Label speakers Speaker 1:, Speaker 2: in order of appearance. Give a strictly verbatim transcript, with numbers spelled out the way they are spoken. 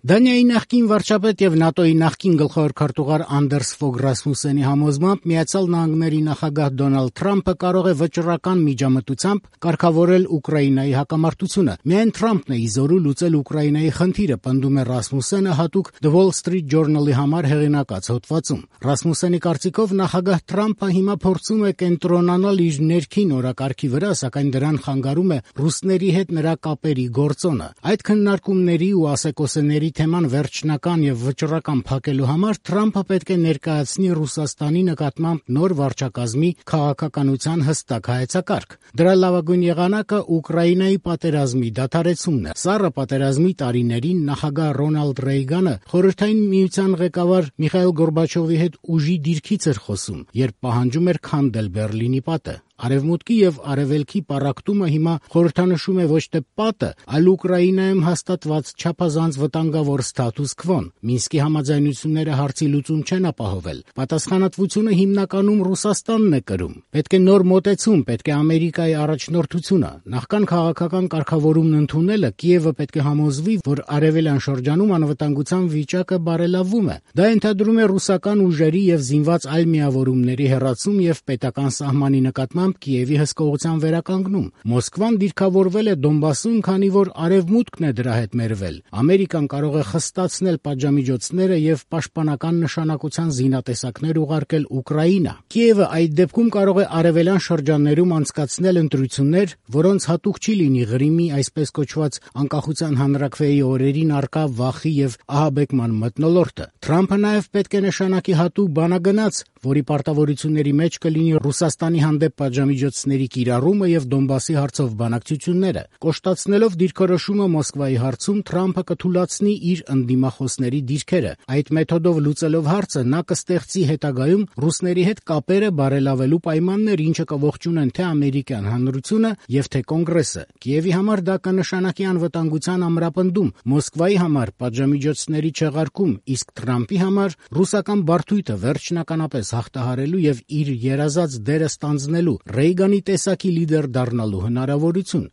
Speaker 1: Դանիայի նախկին վարչապետ եւ ՆԱՏՕ-ի նախկին գլխավոր քարտուղար Անդերս Ֆոգ Ռասմուսենի համոզմամբ Միացյալ Նահանգների նախագահ Դոնալդ Թրամփը կարող է վճռական միջամտությամբ կարգավորել Ուկրաինայի հակամարտությունը։ Միայն Թրամփն է ի զորու լուծել Ուկրաինայի խնդիրը, պնդում է Ռասմուսենը հատուկ The Wall Street Journal-ի համար հեղինակած հոդվածում։ Ռասմուսենի կարծիքով նախագահ Թրամփը հիմա փորձում է կենտրոնանալ իր ներքին օրակարգի վրա, սակայն դրան խանգարում է ռուսների հետ նրա կապերի գործոնը։ Այդ քննարկումների ու ասեկոսեների թեման վերջնական եւ վճռական փակելու համար Թրամփը պետք է ներկայացնի Ռուսաստանի նկատմամբ նոր վարչակազմի քաղաքականության հստակ հայեցակարգ։ Դրա լավագույն եղանակը Ուկրաինայի պատերազմի դադարեցումն է։ Սառը պատերազմի տարիներին նախագահ Ռոնալդ Ռեյգանը խորհրդային միության ղեկավար Միխայիլ Գորբաչովի հետ ուժի դիրքից էր խոսում, երբ պահանջում էր քանդել Բեռլինի պատը։ Արևմուտքի եւ արևելքի պառակտումը հիմա խորհրդանշում է ոչ թե պատը, այլ Ուկրաինայում հաստատված չափազանց վտանգավոր ստատուս քվոն։ Մինսկի համաձայնությունները հարցի լուծում չեն ապահովել։ Պատասխանատվությունը հիմնականում Ռուսաստանն է կրում։ Պետք է նոր մոտեցում, պետք է Ամերիկայի առաջնորդությունը։ Նախքան քաղաքական կարգավորումն ընդունելը Կիևը պետք է համոզվի, որ արևելյան շրջանում անվտանգության վիճակը բարելավվում է։ Դա ենթադրում է ռուսական ուժերի եւ զինված այլ միավորումների հեռացում եւ պետական սահմանի նկատմամբ Կիևի հսկողության վերականգնում։ Մոսկվան դիրքավորվել է Դոնբասում, քանի որ արևմուտքն է դրա հետ մերվել։ Ամերիկան կարող է խստացնել պատժամիջոցները եւ պաշտպանական նշանակության զինատեսակներ ուղարկել Ուկրաինա։ Կիևը այդ դեպքում կարող է արևելյան շրջաններում անցկացնել ընտրություններ, որոնց հատուկ չի լինի Ղրիմի այսպես կոչված անկախության հանրաքվեի օրերին առկա վախի եւ ահաբեկման մթնոլորտը։ Թրամփը նաեւ պետք է նշանակի հատուկ բանագնաց, որի պարտավորությունների մեջ կլինի Ռուսաստանի հանդեպ պատժամիջոցների կիրառումը եւ Դոնբասի հարցով բանակցությունները։ Կոշտացնելով դիրքորոշումը Մոսկվայի հարցում Թրամփը կթուլացնի իր ընդդիմախոսների դիրքերը։ Այդ մեթոդով լուծելով հարցը նա կստեղծի հետագայում ռուսների հետ կապերը բարելավելու պայմաններ, ինչը կողջունեն թե ամերիկյան հանրությունը եւ թե կոնգրեսը։ Կիևի համար դա կնշանակի անվտանգության ամրապնդում, Մոսկվայի համար պատժամիջոցների չեղարկում, իսկ Թրամփի համար ռուսական բարդույթը վերջնականապես հաղթահարելու եւ իր երազած դերը ստանձնելու Ռեյգանի տեսակի լիդեր դառնալու հնարավորություն։